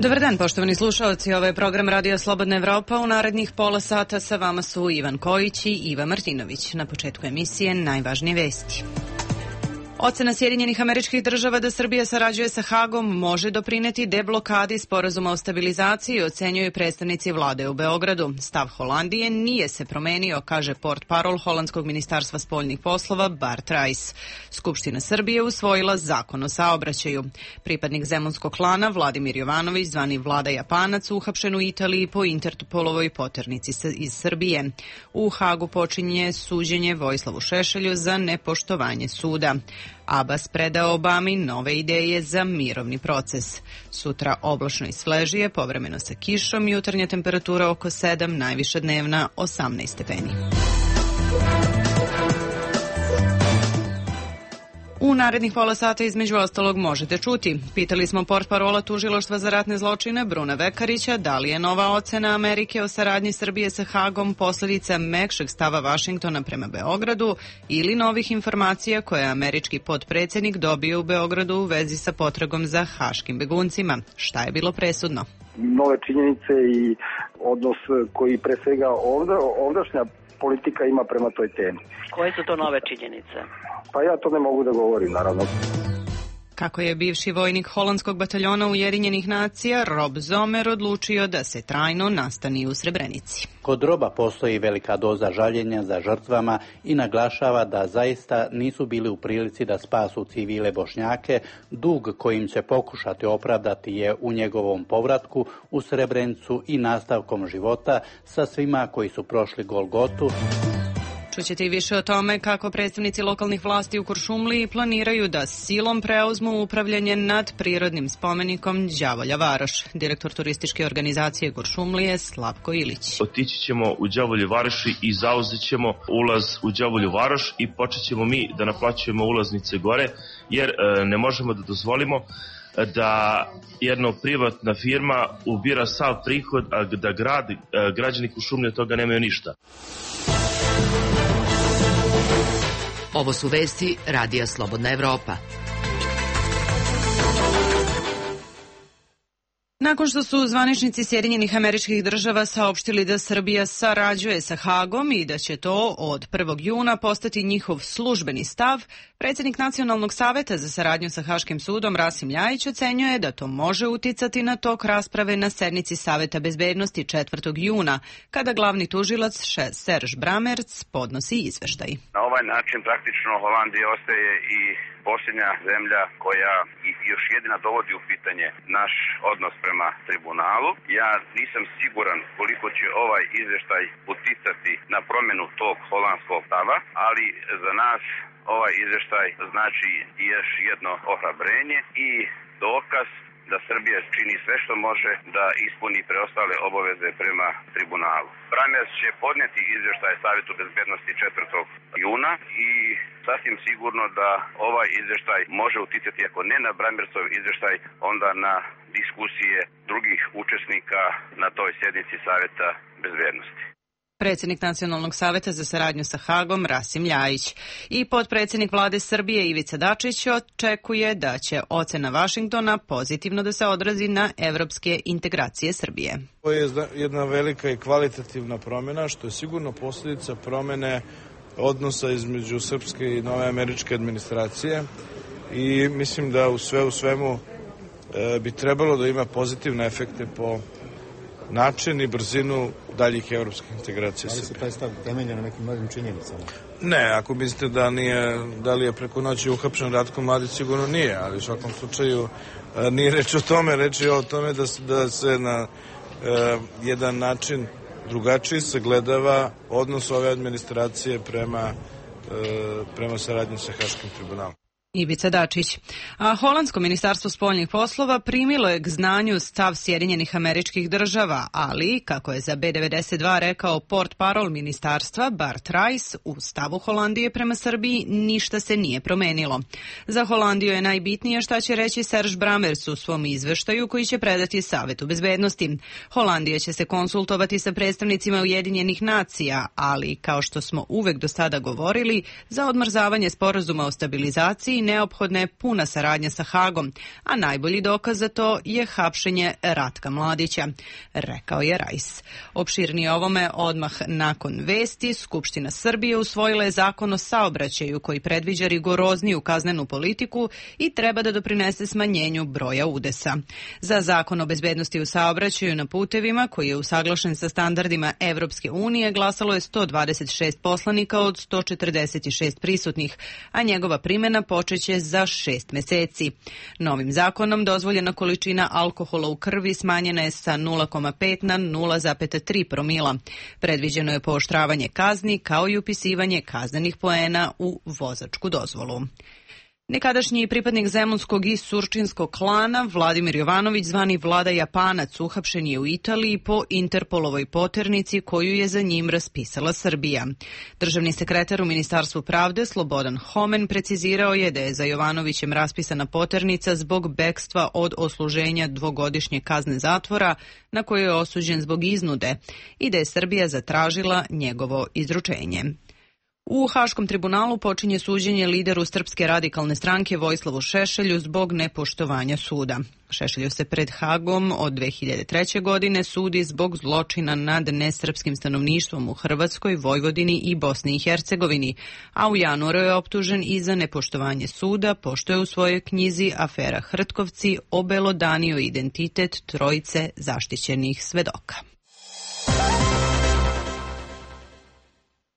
Dobar dan, poštovani slušalci. Ovo je program Radio Slobodna Evropa. U narednih pola sata sa vama su Ivan Kojić i Iva Martinović. Na početku emisije najvažnije vesti. Ocena Sjedinjenih Američkih Država da Srbija sarađuje sa Hagom može doprineti deblokadi sporazuma o stabilizaciji, ocenjuju predstavnici vlade u Beogradu. Stav Holandije nije se promenio, kaže portparol Holandskog ministarstva spoljnih poslova Bart Rajs. Skupština Srbije usvojila zakon o saobraćaju. Pripadnik zemunskog klana Vladimir Jovanović, zvani Vlada Japanac, uhapšen u Italiji po Interpolovoj poternici iz Srbije. U Hagu počinje suđenje Vojislavu Šešelju za nepoštovanje suda. Abbas predao Obami nove ideje za mirovni proces. Sutra oblačno i svežije, povremeno sa kišom, jutarnja temperatura oko 7, najviša dnevna 18 stepeni. U narednih pola sata između ostalog možete čuti. Pitali smo portparola Tužilaštva za ratne zločine Bruna Vekarića da li je nova ocena Amerike o saradnji Srbije sa Hagom posledica mekšeg stava Vašingtona prema Beogradu ili novih informacija koje je američki potpredsjednik dobio u Beogradu u vezi sa potragom za haškim beguncima. Šta je bilo presudno? Nove činjenice i odnos koji pre svega ovdašnja politika ima prema toj temi. Koje su to nove činjenice? Pa ja to ne mogu da govorim, naravno. Kako je bivši vojnik holandskog bataljona Ujedinjenih nacija Rob Zomer odlučio da se trajno nastani u Srebrenici. Kod Roba postoji velika doza žaljenja za žrtvama i naglašava da zaista nisu bili u prilici da spasu civile Bošnjake. Dug kojim će pokušati opravdati je u njegovom povratku u Srebrenicu i nastavkom života sa svima koji su prošli Golgotu. Čućete i više o tome kako predstavnici lokalnih vlasti u Kuršumliji planiraju da silom preuzmu upravljanje nad prirodnim spomenikom Đavolja Varoš. Direktor turističke organizacije Kuršumlije Slavko Ilić. Otići ćemo u Đavolju Varoši i zauzet ćemo ulaz u Đavolju Varoš i počet ćemo mi da naplaćujemo ulaznice gore, jer ne možemo da dozvolimo da jedna privatna firma ubira sav prihod, a da građani Kuršumlije toga nemaju ništa. Ovo su vesti Radija Slobodna Evropa. Nakon što su zvaničnici Sjedinjenih Američkih Država saopštili da Srbija sarađuje sa Hagom i da će to od 1. juna postati njihov službeni stav, predsjednik Nacionalnog saveta za saradnju sa Haškim sudom Rasim Ljajić ocenjuje da to može uticati na tok rasprave na sednici Saveta bezbednosti 4. juna, kada glavni tužilac Serge Bramertz podnosi izveštaj. Na ovaj način praktično Holandija ostaje i posljednja zemlja koja još jedina dovodi u pitanje naš odnos prema tribunalu. Ja nisam siguran koliko će ovaj izveštaj uticati na promjenu tog holandskog stava, ali za nas ovaj izveštaj znači još jedno ohrabrenje i dokaz da Srbija čini sve što može da ispuni preostale obaveze prema tribunalu. Bramertz će podnijeti izvještaj Savetu bezbednosti 4. juna i sasvim sigurno da ovaj izvještaj može uticati, ako ne na Bramertzov izvještaj, onda na diskusije drugih učesnika na toj sjednici Saveta bezbednosti. Predsjednik Nacionalnog saveta za saradnju sa Hagom Rasim Ljajić i potpredsjednik vlade Srbije Ivica Dačić očekuje da će ocena Vašingtona pozitivno da se odrazi na evropske integracije Srbije. Ovo je jedna velika i kvalitativna promjena, što je sigurno posljedica promjene odnosa između srpske i nove američke administracije i mislim da u svemu bi trebalo da ima pozitivne efekte po način i brzinu daljih evropskih integracija. Da li se taj stav temelja na nekim novim činjenicama? Ne, ako mislite da li je preko noći uhapšen Ratko Mladić, sigurno nije, ali u svakom slučaju nije reč o tome, reč je o tome da se na jedan način drugačiji sagledava odnos ove administracije prema saradnji sa Haškim tribunalom. Ivica Dačić. A holandsko ministarstvo spoljnih poslova primilo je k znanju stav Sjedinjenih Američkih Država, ali, kako je za B92 rekao portparol ministarstva Bart Rajs, u stavu Holandije prema Srbiji ništa se nije promenilo. Za Holandiju je najbitnije šta će reći Serge Bramertz u svom izveštaju koji će predati Savetu bezbednosti. Holandija će se konsultovati sa predstavnicima Ujedinjenih nacija, ali, kao što smo uvek do sada govorili, za odmrzavanje sporazuma o stabilizaciji i neophodna je puna saradnja sa Hagom, a najbolji dokaz za to je hapšenje Ratka Mladića, rekao je Rajs. Opširnije ovome odmah nakon vesti, Skupština Srbije usvojila je zakon o saobraćaju koji predviđa rigorozniju kaznenu politiku i treba da doprinese smanjenju broja udesa. Za zakon o bezbednosti u saobraćaju na putevima, koji je usaglašen sa standardima Evropske unije, glasalo je 126 poslanika od 146 prisutnih, a njegova primjena počeće za 6 meseci. Novim zakonom dozvoljena količina alkohola u krvi smanjena je sa 0,5 na 0,3 promila. Predviđeno je pooštravanje kazni kao i upisivanje kaznenih poena u vozačku dozvolu. Nekadašnji pripadnik zemunskog i surčinskog klana Vladimir Jovanović, zvani Vlada Japanac, uhapšen je u Italiji po Interpolovoj poternici koju je za njim raspisala Srbija. Državni sekretar u Ministarstvu pravde Slobodan Homen precizirao je da je za Jovanovićem raspisana poternica zbog bekstva od odsluženja dvogodišnje kazne zatvora na koju je osuđen zbog iznude i da je Srbija zatražila njegovo izručenje. U Haškom tribunalu počinje suđenje lideru Srpske radikalne stranke Vojislavu Šešelju zbog nepoštovanja suda. Šešelju se pred Hagom od 2003. godine sudi zbog zločina nad nesrpskim stanovništvom u Hrvatskoj, Vojvodini i Bosni i Hercegovini, a u januaru je optužen i za nepoštovanje suda, pošto je u svojoj knjizi Afera Hrtkovci obelodanio identitet trojice zaštićenih svedoka.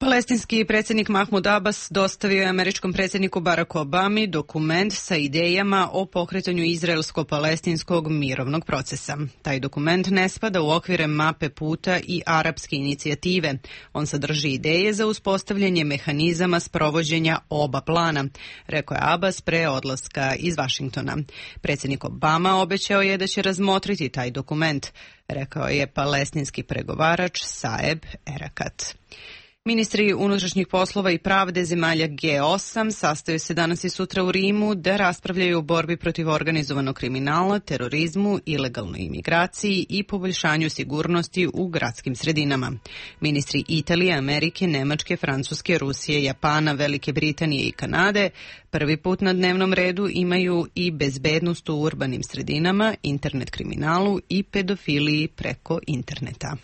Palestinski predsjednik Mahmud Abbas dostavio je američkom predsjedniku Baracku Obami dokument sa idejama o pokretanju izraelsko-palestinskog mirovnog procesa. Taj dokument ne spada u okvire mape puta i arapske inicijative. On sadrži ideje za uspostavljanje mehanizama sprovođenja oba plana, rekao je Abbas pre odlaska iz Vašingtona. Predsjednik Obama obećao je da će razmotriti taj dokument, rekao je palestinski pregovarač Saeb Erekat. Ministri unutrašnjih poslova i pravde zemalja G8 sastaju se danas i sutra u Rimu da raspravljaju o borbi protiv organizovanog kriminala, terorizmu, ilegalnoj imigraciji i poboljšanju sigurnosti u gradskim sredinama. Ministri Italije, Amerike, Nemačke, Francuske, Rusije, Japana, Velike Britanije i Kanade prvi put na dnevnom redu imaju i bezbednost u urbanim sredinama, internet kriminalu i pedofiliji preko interneta.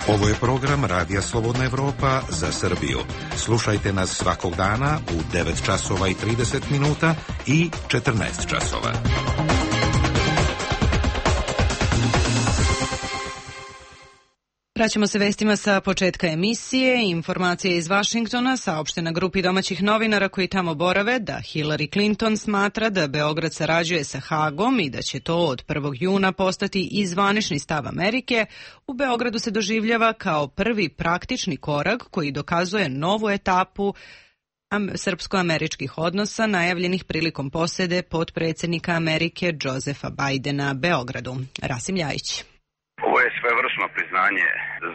Ovo je program Radija Slobodna Evropa za Srbiju. Slušajte nas svakog dana u 9 časova i 30 minuta i 14 časova. Vraćamo se vestima sa početka emisije. Informacije iz Vašingtona saopštena grupi domaćih novinara koji tamo borave da Hillary Clinton smatra da Beograd sarađuje sa Hagom i da će to od 1. juna postati i zvanični stav Amerike, u Beogradu se doživljava kao prvi praktični korak koji dokazuje novu etapu srpsko-američkih odnosa najavljenih prilikom posede potpredsjednika Amerike Josefa Bidena Beogradu. Rasim Ljajić. Ovo je svevrsno priznanje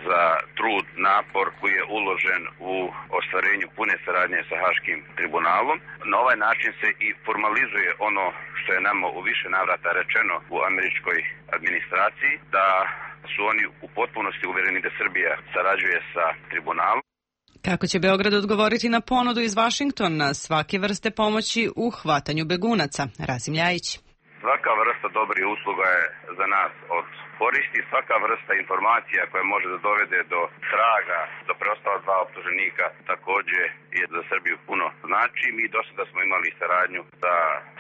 za trud, napor koji je uložen u ostvarenju pune saradnje sa Haškim tribunalom. Na ovaj način se i formalizuje ono što je nama u više navrata rečeno u američkoj administraciji, da su oni u potpunosti uvereni da Srbija sarađuje sa tribunalom. Kako će Beograd odgovoriti na ponudu iz Vašingtona svake vrste pomoći u hvatanju begunaca? Rasim Ljajić. Svaka vrsta dobrih usluga je za nas od koristi, svaka vrsta informacija koja može da dovede do traga, do preostala dva optuženika također je za Srbiju puno znači. Mi do sada smo imali saradnju sa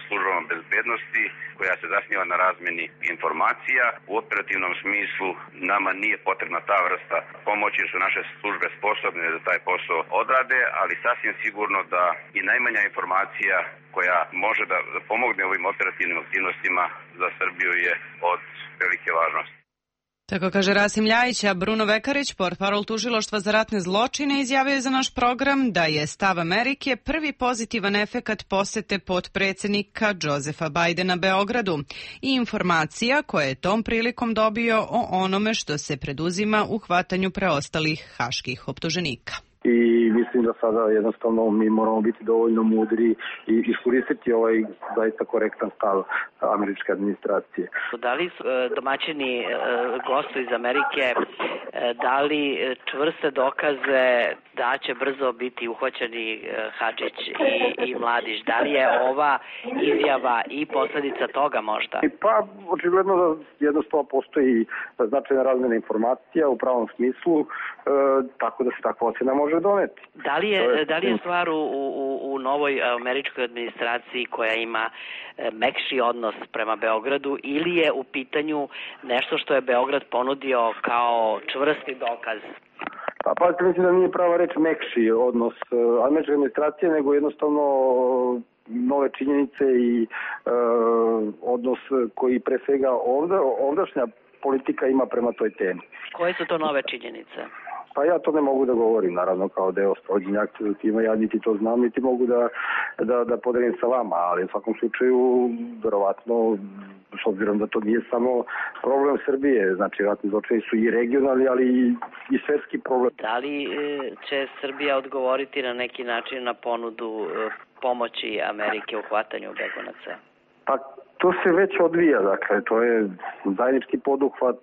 službama bezbednosti koja se zasniva na razmeni informacija. U operativnom smislu nama nije potrebna ta vrsta pomoći jer su naše službe sposobne da taj posao odrade, ali sasvim sigurno da i najmanja informacija koja može da pomogne ovim operativnim aktivnostima za Srbiju je od velike važnosti. Tako kaže Rasim Ljajić, a Bruno Vekarić, portparol tužilaštva za ratne zločine, izjavio je za naš program da je stav Amerike prvi pozitivan efekat posete potpredsjednika Josefa Bidena Beogradu i informacija koje je tom prilikom dobio o onome što se preduzima u hvatanju preostalih haških optuženika. I mislim da sada jednostavno mi moramo biti dovoljno mudri i iskoristiti ovaj zaista korektan stav američke administracije. Da li domaćini gostu iz Amerike Da li čvrste dokaze da će brzo biti uhvaćeni Hadžić i Mladić? Da li je ova izjava i posledica toga možda? Pa, očigledno da jednostavno postoji značajna razmjena informacija u pravom smislu, tako da se takva ocena može doneti. Da li je stvar u novoj američkoj administraciji koja ima mekši odnos prema Beogradu ili je u pitanju nešto što je Beograd ponudio kao čvrsti dokaz? Pa mislim da nije prava reč mekši odnos američke administracije, nego jednostavno nove činjenice i odnos koji pre svega ovdašnja politika ima prema toj temi. Koje su to nove činjenice? Pa ja to ne mogu da govorim, naravno, kao deo sprovođenja akcije tima, ja niti to znam, niti mogu da podelim sa vama, ali u svakom slučaju, verovatno, s obzirom da to nije samo problem Srbije, znači ratni zločini su i regionalni, ali i svetski problem. Da li će Srbija odgovoriti na neki način na ponudu pomoći Amerike u hvatanju begunaca? Pa to se već odvija, dakle, to je zajednički poduhvat,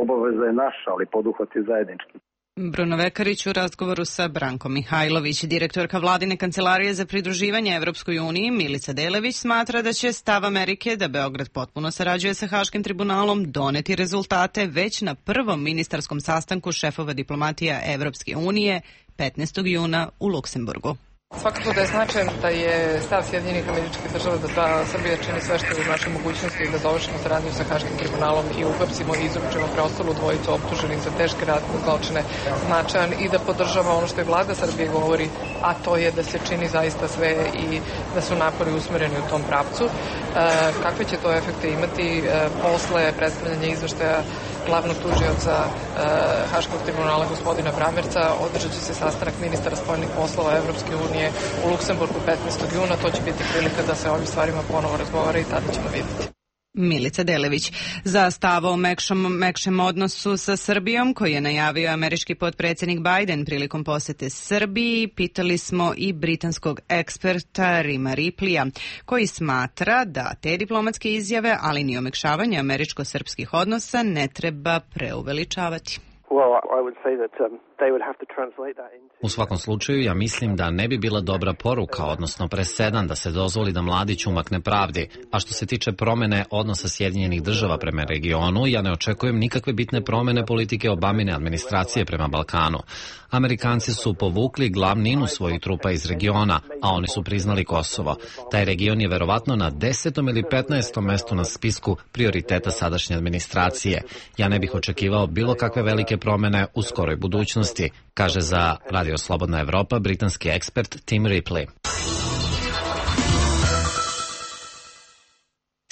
obaveza je naša, ali poduhvat je zajednički. Bruno Vekarić u razgovoru sa Brankom Mihajlović. Direktorka Vladine kancelarije za pridruživanje Evropskoj uniji Milica Delević smatra da će stav Amerike da Beograd potpuno sarađuje sa Haškim tribunalom doneti rezultate već na prvom ministarskom sastanku šefova diplomatija Evropske unije 15. juna u Luksemburgu. Svakako da je značajan da je stav Sjedinjenih Američkih Država da Srbija čini sve što je u našoj mogućnosti da završimo saradnju sa Haškim tribunalom i uhapsimo i izručimo preostalu dvojicu optuženih za teške ratne zločine značajan i da podržava ono što je vlada Srbije govori, a to je da se čini zaista sve i da su napori usmereni u tom pravcu. Kakve će to efekte imati posle predstavljanja izveštaja glavnog tužioca Haškog tribunala gospodina Bramerca, održat će se sastanak ministara spoljnih poslova Evropske unije u Luksemburgu 15. juna. To će biti prilika da se o ovim stvarima ponovo razgovara i tada ćemo vidjeti. Milica Delević. Za stav o mekšem odnosu sa Srbijom, koji je najavio američki potpredsjednik Biden prilikom posete Srbiji, pitali smo i britanskog eksperta Rima Ripleya, koji smatra da te diplomatske izjave, ali ni omekšavanje američko-srpskih odnosa ne treba preuveličavati. U svakom slučaju, ja mislim da ne bi bila dobra poruka, odnosno presedan da se dozvoli da Mladić umakne pravdi. A što se tiče promene odnosa Sjedinjenih Država prema regionu, ja ne očekujem nikakve bitne promene politike Obamine administracije prema Balkanu. Amerikanci su povukli glavninu svojih trupa iz regiona, a oni su priznali Kosovo. Taj region je verovatno na 10. ili 15. mestu na spisku prioriteta sadašnje administracije. Ja ne bih očekivao bilo kakve velike promene u skoroj budućnosti, kaže za Radio Slobodna Evropa britanski ekspert Tim Ripley.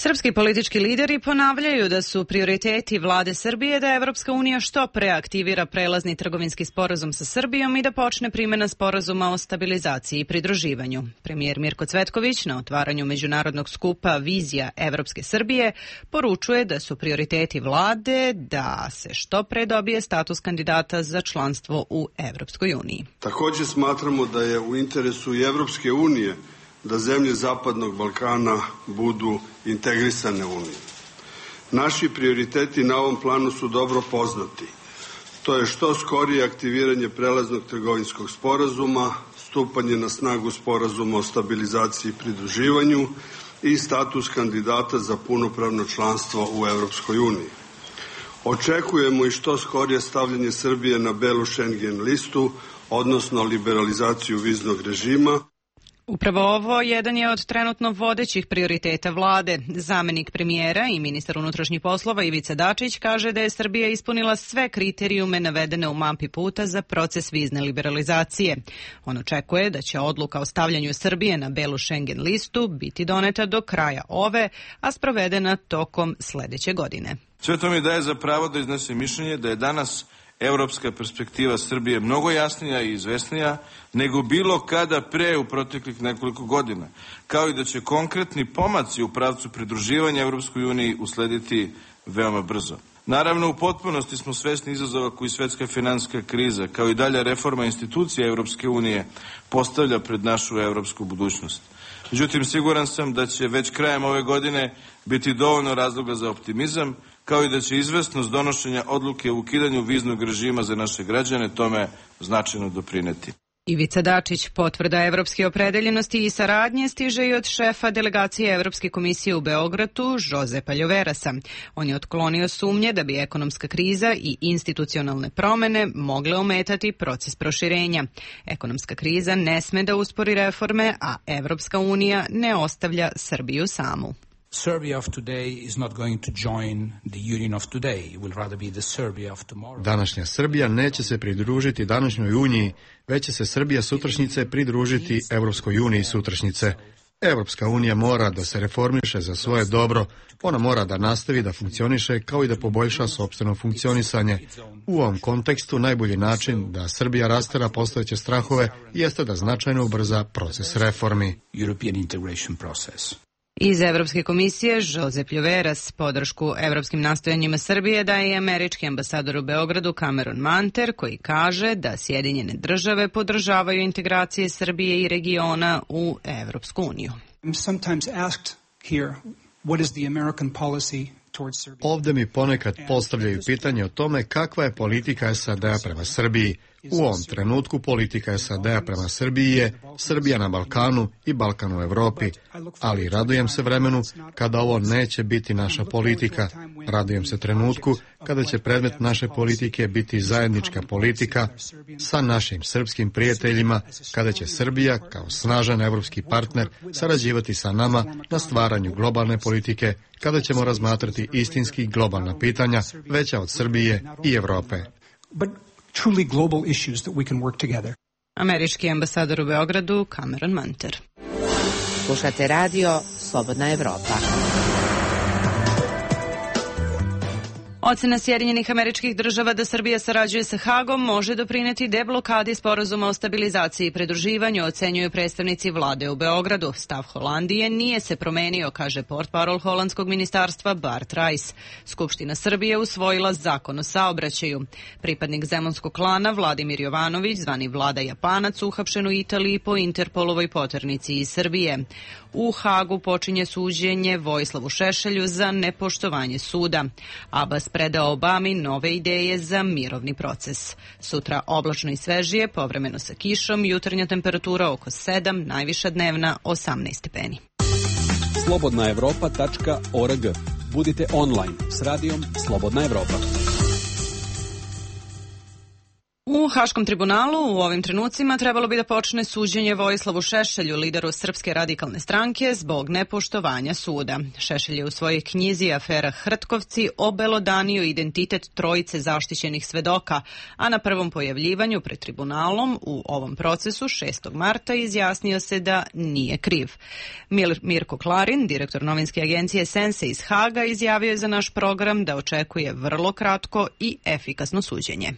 Srpski politički lideri ponavljaju da su prioriteti vlade Srbije da Evropska unija što pre aktivira prelazni trgovinski sporazum sa Srbijom i da počne primjena sporazuma o stabilizaciji i pridruživanju. Premijer Mirko Cvetković na otvaranju međunarodnog skupa Vizija Evropske Srbije poručuje da su prioriteti vlade da se što pre dobije status kandidata za članstvo u Evropskoj uniji. Također smatramo da je u interesu i Evropske unije da zemlje Zapadnog Balkana budu integrisane u Uniju. Naši prioriteti na ovom planu su dobro poznati. To je što skorije aktiviranje prelaznog trgovinskog sporazuma, stupanje na snagu sporazuma o stabilizaciji i pridruživanju i status kandidata za punopravno članstvo u Evropskoj uniji. Očekujemo i što skorije stavljanje Srbije na belu Schengen listu, odnosno liberalizaciju viznog režima. Upravo ovo jedan je od trenutno vodećih prioriteta vlade. Zamenik premijera i ministar unutrašnjih poslova Ivica Dačić kaže da je Srbija ispunila sve kriterijume navedene u mapi puta za proces vizne liberalizacije. On očekuje da će odluka o stavljanju Srbije na belu Schengen listu biti doneta do kraja ove, a sprovedena tokom sledeće godine. Sve to mi daje za pravo da iznesem mišljenje da je danas evropska perspektiva Srbije mnogo jasnija i izvesnija nego bilo kada pre u proteklih nekoliko godina, kao i da će konkretni pomaci u pravcu pridruživanja Evropskoj uniji uslediti veoma brzo. Naravno, u potpunosti smo svesni izazova koji svetska finansijska kriza, kao i dalja reforma institucija Evropske unije, postavlja pred našu evropsku budućnost. Međutim, siguran sam da će već krajem ove godine biti dovoljno razloga za optimizam kao i da će izvesnost donošenja odluke o ukidanju viznog režima za naše građane tome značajno doprineti. Ivica Dačić, potvrda evropske opredeljenosti i saradnje stiže i od šefa delegacije Evropske komisije u Beogradu, Josepa Ljoverasa. On je otklonio sumnje da bi ekonomska kriza i institucionalne promene mogle ometati proces proširenja. Ekonomska kriza ne sme da uspori reforme, a Evropska unija ne ostavlja Srbiju samu. Serbia of today is not going to join the Union of today. It will rather be the Serbia of tomorrow. Današnja Srbija neće se pridružiti današnjoj uniji, već će se Srbija sutrašnjice pridružiti Evropskoj uniji sutrašnjice. Evropska unija mora da se reformiše za svoje dobro, ona mora da nastavi da funkcioniše kao i da poboljša sopstveno funkcionisanje. U ovom kontekstu najbolji način da Srbija rastera postojeće strahove jeste da značajno ubrza proces reformi. European integration process. Iz Evropske komisije Josep Ljoveras podršku evropskim nastojanjima Srbije daje i američki ambasador u Beogradu Cameron Manter, koji kaže da Sjedinjene države podržavaju integracije Srbije i regiona u Evropsku uniju. Ovde mi ponekad postavljaju pitanje o tome kakva je politika SAD-a prema Srbiji. U ovom trenutku politika SAD-a prema Srbiji je Srbija na Balkanu i Balkan u Evropi, ali radujem se vremenu kada ovo neće biti naša politika. Radujem se trenutku kada će predmet naše politike biti zajednička politika sa našim srpskim prijateljima, kada će Srbija kao snažan evropski partner sarađivati sa nama na stvaranju globalne politike, kada ćemo razmatrati istinski globalna pitanja veća od Srbije i Evrope. Truly global issues that we can work together. Američki ambasador u Beogradu Cameron Manter. Slušate radio Slobodna Evropa. Ocena Sjedinjenih Američkih Država da Srbija sarađuje sa Hagom može doprineti deblokadi sporazuma o stabilizaciji i pridruživanju, ocenjuju predstavnici vlade u Beogradu. Stav Holandije nije se promenio, kaže portparol holandskog ministarstva Bart Rice. Skupština Srbije usvojila zakon o saobraćaju. Pripadnik zemunskog klana Vladimir Jovanović, zvani Vlada Japanac, uhapšen u Italiji po Interpolovoj poternici iz Srbije. U Hagu počinje suđenje Vojislavu Šešelju za nepoštovanje suda. Abbas predao Obami nove ideje za mirovni proces. Sutra oblačno i svežije, povremeno sa kišom, jutarnja temperatura oko 7, najviša dnevna 18 stepeni. slobodnaevropa.org. Budite online s radijom Slobodna Evropa. U Haškom tribunalu u ovim trenucima trebalo bi da počne suđenje Vojislavu Šešelju, lideru Srpske radikalne stranke, zbog nepoštovanja suda. Šešelj je u svojoj knjizi Afera Hrtkovci obelodanio identitet trojice zaštićenih svedoka, a na prvom pojavljivanju pred tribunalom u ovom procesu 6. marta izjasnio se da nije kriv. Mirko Klarin, direktor novinske agencije Sense iz Haga, izjavio je za naš program da očekuje vrlo kratko i efikasno suđenje.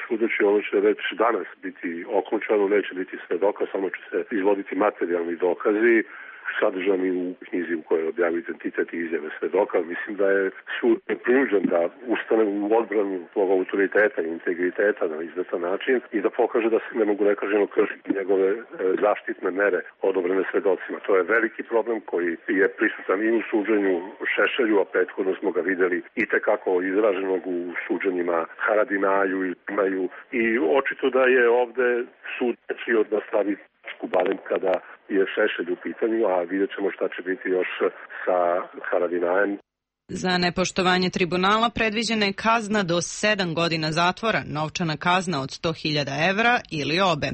Sudeći, ovo će već danas biti okončano, neće biti svedoka, samo će se izvoditi materijalni dokazi sadržani u knjizi u kojoj objavio identitet i izjave svedoka. Mislim da je sud prinuđen da ustane u odbranu svog autoriteta i integriteta na izvestan način i da pokaže da se ne mogu nekažnjeno kršiti njegove zaštitne mere odobrene svedocima. To je veliki problem koji je prisutan i u suđenju Šešelju, a prethodno smo ga videli i tekako izraženog u suđenjima Haradinaju i očito da je ovde sud rečio da stavi barem kada je Šešelj u pitanju, a vidjet ćemo šta će biti još sa Haradinajem. Za nepoštovanje tribunala predviđena je kazna do 7 godina zatvora, novčana kazna od 100.000 evra ili obe.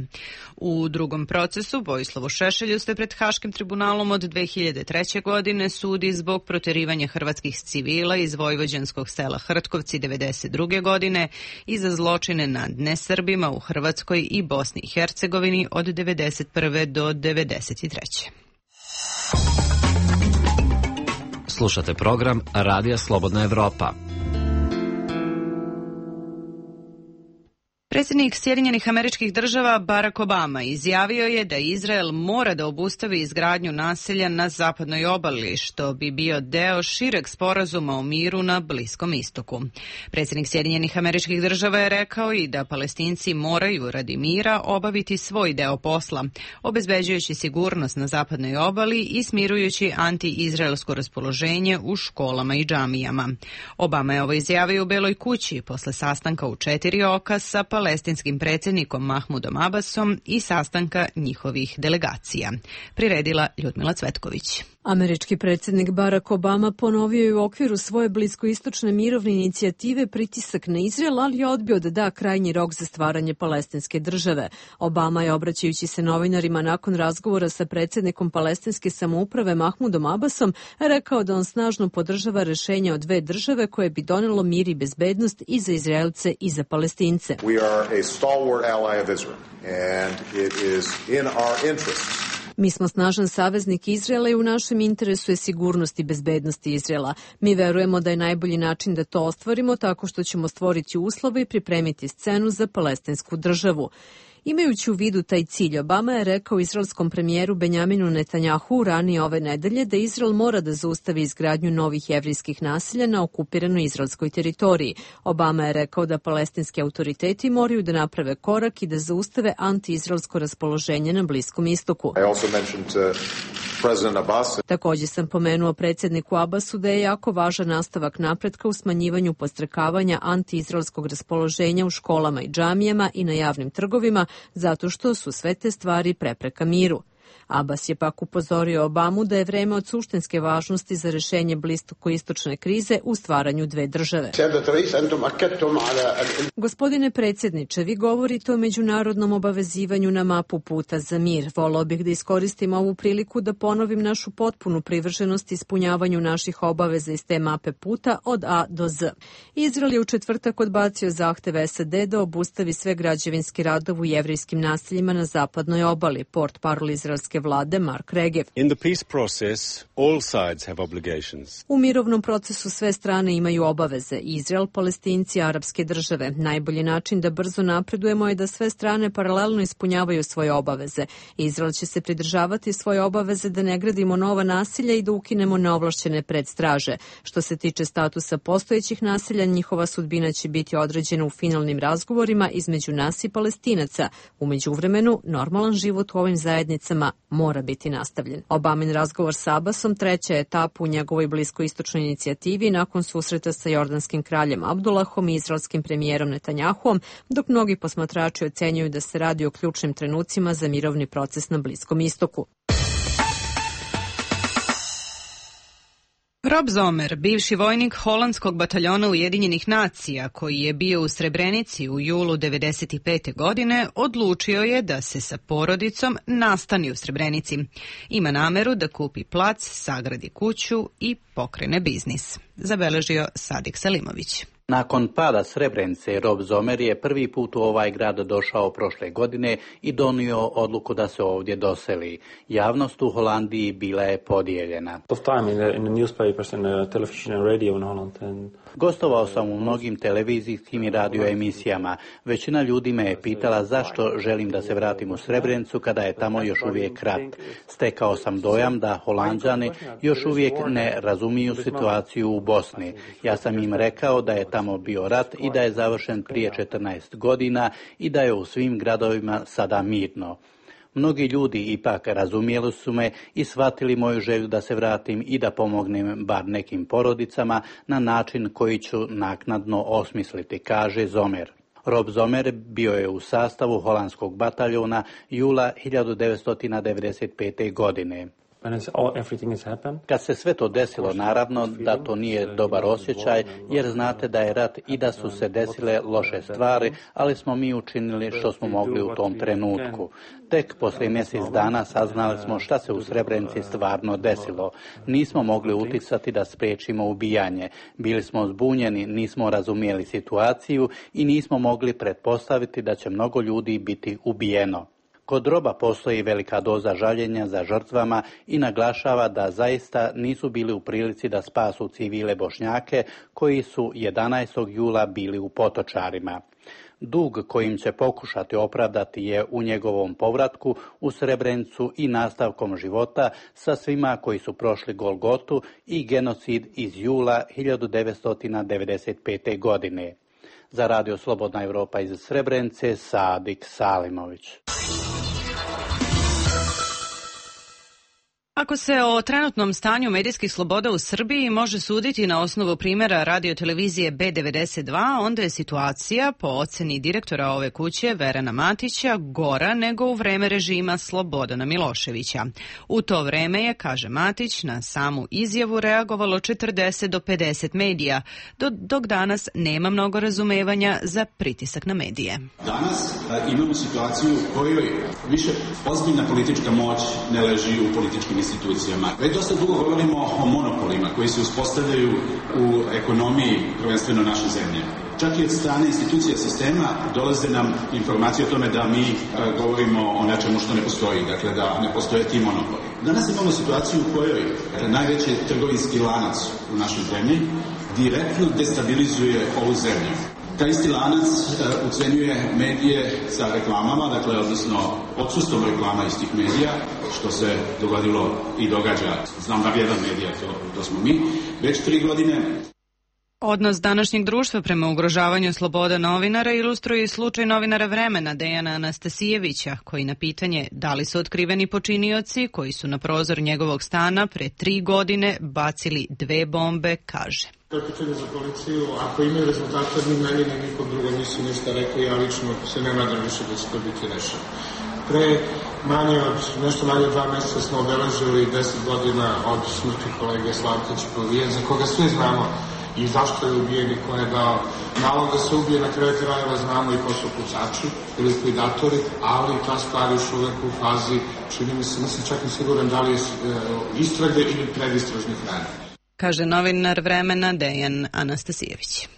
U drugom procesu Vojislavu Šešelju se pred Haškim tribunalom od 2003. godine sudi zbog proterivanja hrvatskih civila iz vojvođanskog sela Hrtkovci 1992. godine i za zločine nad nesrbima u Hrvatskoj i Bosni i Hercegovini od 1991. do 1993. Slušate program Radija Slobodna Evropa. Predsjednik Sjedinjenih Američkih Država Barack Obama izjavio je da Izrael mora da obustavi izgradnju naselja na zapadnoj obali, što bi bio deo šireg sporazuma o miru na Bliskom istoku. Predsjednik Sjedinjenih Američkih Država je rekao i da Palestinci moraju radi mira obaviti svoj deo posla, obezbeđujući sigurnost na zapadnoj obali i smirujući anti-izraelsko raspoloženje u školama i džamijama. Obama je ovo izjavio u Beloj kući posle sastanka u 4 oka sa palestinskim predsjednikom Mahmudom Abbasom i sastanka njihovih delegacija. Priredila Ljudmila Cvetković. Američki predsjednik Barack Obama ponovio je u okviru svoje bliskoistočne mirovne inicijative pritisak na Izrael, ali je odbio da da krajnji rok za stvaranje palestinske države. Obama je, obraćajući se novinarima nakon razgovora sa predsjednikom palestinske samouprave Mahmudom Abbasom, rekao da on snažno podržava rešenje o 2 države koje bi donelo mir i bezbednost i za Izraelce i za Palestince. We are a stalwart ally of Israel, and it is in our interests. Mi smo snažan saveznik Izraela i u našem interesu je sigurnost i bezbednost Izraela. Mi verujemo da je najbolji način da to ostvarimo tako što ćemo stvoriti uslove i pripremiti scenu za palestinsku državu. Imajući u vidu taj cilj, Obama je rekao izraelskom premijeru Benjaminu Netanjahu ranije ove nedelje da Izrael mora da zaustavi izgradnju novih jevrijskih naselja na okupiranoj izraelskoj teritoriji. Obama je rekao da palestinski autoriteti moraju da naprave korak i da zaustave anti-izraelsko raspoloženje na Bliskom istoku. Također sam pomenuo predsjedniku Abbasu da je jako važan nastavak napretka u smanjivanju podstrekavanja anti-izraelskog raspoloženja u školama i džamijama i na javnim trgovima, zato što su sve te stvari prepreka miru. Abbas je pak upozorio Obamu da je vreme od suštinske važnosti za rešenje bliskoistočne krize u stvaranju 2 države. Gospodine predsjedniče, vi govorite o međunarodnom obavezivanju na mapu puta za mir. Volao bih da iskoristim ovu priliku da ponovim našu potpunu privrženost ispunjavanju naših obaveza iz te mape puta od A do Z. Izrael je u četvrtak odbacio zahtev SAD da obustavi sve građevinski radovi u jevrijskim naseljima na zapadnoj obali, portparol izraelske vlade Mark Regev. U mirovnom procesu sve strane imaju obaveze, Izrael, Palestinci, arapske države. Najbolji način da brzo napredujemo je da sve strane paralelno ispunjavaju svoje obaveze. Izrael će se pridržavati svoje obaveze da ne gradimo nova naselja i da ukinemo neovlašćene predstraže. Što se tiče statusa postojećih naselja, njihova sudbina će biti određena u finalnim razgovorima između nas i Palestinaca. U međuvremenu, normalan život u ovim zajednicama mora biti nastavljen. Obamin razgovor sa Abbasom treća etapa u njegovoj bliskoistočnoj inicijativi nakon susreta sa jordanskim kraljem Abdullahom i izraelskim premijerom Netanjahuom, dok mnogi posmatrači ocenjuju da se radi o ključnim trenucima za mirovni proces na Bliskom istoku. Rob Zomer, bivši vojnik holandskog bataljona Ujedinjenih nacija, koji je bio u Srebrenici u julu 1995. godine, odlučio je da se sa porodicom nastani u Srebrenici. Ima nameru da kupi plac, sagradi kuću i pokrene biznis. Zabeležio Sadik Selimović. Nakon pada Srebrenice, Rob Zomer je prvi put u ovaj grad došao prošle godine i donio odluku da se ovdje doseli. Javnost u Holandiji bila je podijeljena. Gostovao sam u mnogim televizijskim i radio emisijama. Većina ljudi me je pitala zašto želim da se vratim u Srebrenicu kada je tamo još uvijek rat. Stekao sam dojam da Holanđani još uvijek ne razumiju situaciju u Bosni. Ja sam im rekao da je tamo bio rat i da je završen prije 14 godina i da je u svim gradovima sada mirno. Mnogi ljudi ipak razumjeli su me i shvatili moju želju da se vratim i da pomognem bar nekim porodicama na način koji ću naknadno osmisliti, kaže Zomer. Rob Zomer bio je u sastavu holandskog bataljona jula 1995. godine. Kad se sve to desilo, naravno da to nije dobar osjećaj, jer znate da je rat i da su se desile loše stvari, ali smo mi učinili što smo mogli u tom trenutku. Tek poslije mjesec dana saznali smo šta se u Srebrenici stvarno desilo. Nismo mogli uticati da spriječimo ubijanje. Bili smo zbunjeni, nismo razumjeli situaciju i nismo mogli pretpostaviti da će mnogo ljudi biti ubijeno. Kod Roba postoji velika doza žaljenja za žrtvama i naglašava da zaista nisu bili u prilici da spasu civile Bošnjake koji su 11. jula bili u Potočarima. Dug kojim će pokušati opravdati je u njegovom povratku u Srebrenicu i nastavkom života sa svima koji su prošli Golgotu i genocid iz jula 1995. godine. Za Radio Slobodna Evropa iz Srebrenice, Sadik Salimović. Ako se o trenutnom stanju medijskih sloboda u Srbiji može suditi na osnovu primjera radiotelevizije B92, onda je situacija, po oceni direktora ove kuće, Verana Matića, gora nego u vreme režima Slobodana Miloševića. U to vreme je, kaže Matić, na samu izjavu reagovalo 40 do 50 medija, dok danas nema mnogo razumevanja za pritisak na medije. Danas imamo situaciju u kojoj više ozbiljna politička moć ne leži u političkim institucijama. Već dosta dugo govorimo o monopolima koji se uspostavljaju u ekonomiji prvenstveno naše zemlje. Čak i od strane institucija sistema dolaze nam informacije o tome da mi govorimo o nečemu što ne postoji, dakle da ne postoje ti monopoli. Danas imamo situaciju u kojoj najveći trgovinski lanac u našoj zemlji direktno destabilizuje ovu zemlju. Taj isti lanac ucenjuje medije sa reklamama, dakle, odnosno odsustvom reklama iz tih medija, što se dogodilo i događa, znam da jedan medija, to smo mi, već 3 godine. Odnos današnjeg društva prema ugrožavanju sloboda novinara ilustruje i slučaj novinara Vremena Dejana Anastasijevića, koji na pitanje da li su otkriveni počinioci koji su na prozor njegovog stana pre 3 godine bacili 2 bombe, kaže. To je pitanje za policiju. Ako imaju rezultate, ni meni, ni nikom drugom nisu ništa rekli, ja lično se ne nadam više da će to biti rešeno. Pre nešto manje od 2 meseca smo obeležili 10 godina od smrti kolege Slavka Ćipovije, za koga svi znamo i zašto je ubijen i ko je dao nalog da se ubije. Na kraju krajeva znamo i ko su pucači ili likvidatori, ali ta stvar još uvek u fazi, čini mi se, nisam čak i siguran da li je istrage ili predistražnih radnji. Kaže novinar Vremena Dejan Anastasijević.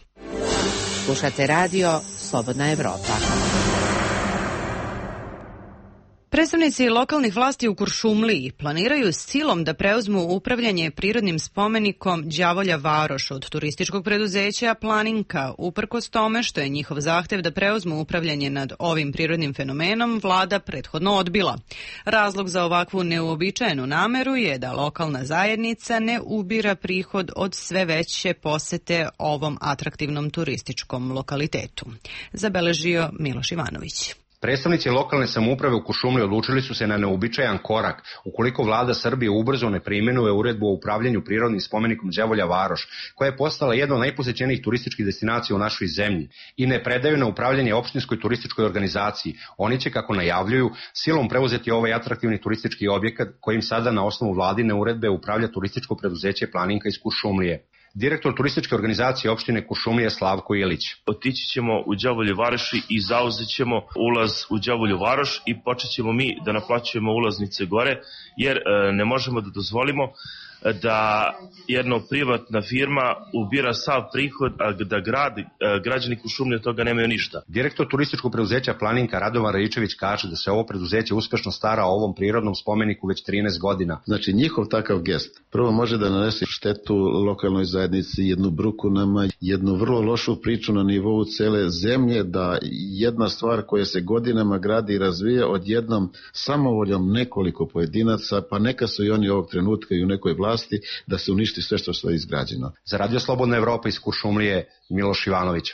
Slušate radio Slobodna Evropa. Predstavnici lokalnih vlasti u Kuršumliji planiraju s cilom da preuzmu upravljanje prirodnim spomenikom Đavolja Varoš od turističkog preduzeća Planinka, uprkos tome što je njihov zahtev da preuzmu upravljanje nad ovim prirodnim fenomenom vlada prethodno odbila. Razlog za ovakvu neuobičajenu nameru je da lokalna zajednica ne ubira prihod od sve veće posete ovom atraktivnom turističkom lokalitetu. Zabeležio Miloš Ivanović. Predstavnici lokalne samouprave u Kuršumliji odlučili su se na neobičajan korak ukoliko vlada Srbije ubrzo ne primenuje uredbu o upravljanju prirodnim spomenikom Đavolja Varoš, koja je postala jedna od najposećenijih turističkih destinacija u našoj zemlji, i ne predaju na upravljanje opštinskoj turističkoj organizaciji. Oni će, kako najavljuju, silom preuzeti ovaj atraktivni turistički objekat kojim sada na osnovu vladine uredbe upravlja turističko preduzeće Planinka iz Kuršumlije. Direktor turističke organizacije opštine Kuršumlije Slavko Ilić. Otići ćemo u Đavolju Varoši i zauzet ćemo ulaz u Đavolju Varoš i počet ćemo mi da naplaćujemo ulaznice gore, jer ne možemo da dozvolimo da jedna privatna firma ubira sav prihod, a da građani Kuršumlije od toga nemaju ništa. Direktor turističkog preduzeća Planinka Radovan Raičević kaže da se ovo preduzeće uspešno stara o ovom prirodnom spomeniku već 13 godina. Znači njihov takav gest prvo može da nanese štetu lokalnoj zajednici, jednu bruku nama, jednu vrlo lošu priču na nivou cele zemlje, da jedna stvar koja se godinama gradi i razvija odjednom samovoljom nekoliko pojedinaca, pa neka su i oni ovog trenutka i u nekoj vlasti, da se uništi sve što je izgrađeno. Za Radio Slobodna Evropa iz Kuršumlije, Miloš Ivanović.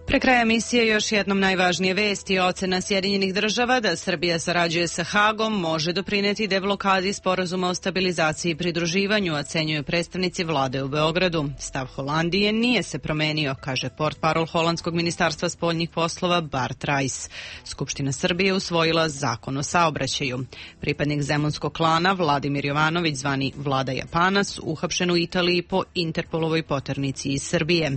Pre kraja emisije još jednom najvažnije vesti. Ocena Sjedinjenih država da Srbija sarađuje sa Hagom može doprineti deblokadi sporazuma o stabilizaciji i pridruživanju, ocenjuju predstavnici vlade u Beogradu. Stav Holandije nije se promenio, kaže portparol holandskog ministarstva spoljnih poslova Bart Rajs. Skupština Srbije usvojila zakon o saobraćaju. Pripadnik zemunskog klana Vladimir Jovanović, zvani Vlada Japanac, uhapšen u Italiji po Interpolovoj poternici iz Srbije.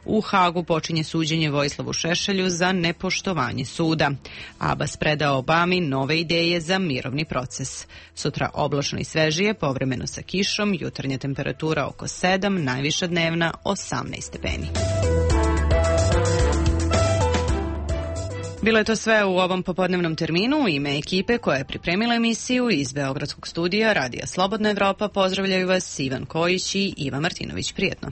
U Hagu počinje suđenje Vojislavu Šešelju za nepoštovanje suda. Abbas predao Obami nove ideje za mirovni proces. Sutra oblačno i svežije, povremeno sa kišom, jutarnja temperatura oko 7, najviša dnevna 18 stepeni. Bilo je to sve u ovom popodnevnom terminu. U ime ekipe koja je pripremila emisiju iz Beogradskog studija Radija Slobodna Evropa pozdravljaju vas Ivan Kojić i Iva Martinović. Prijetno.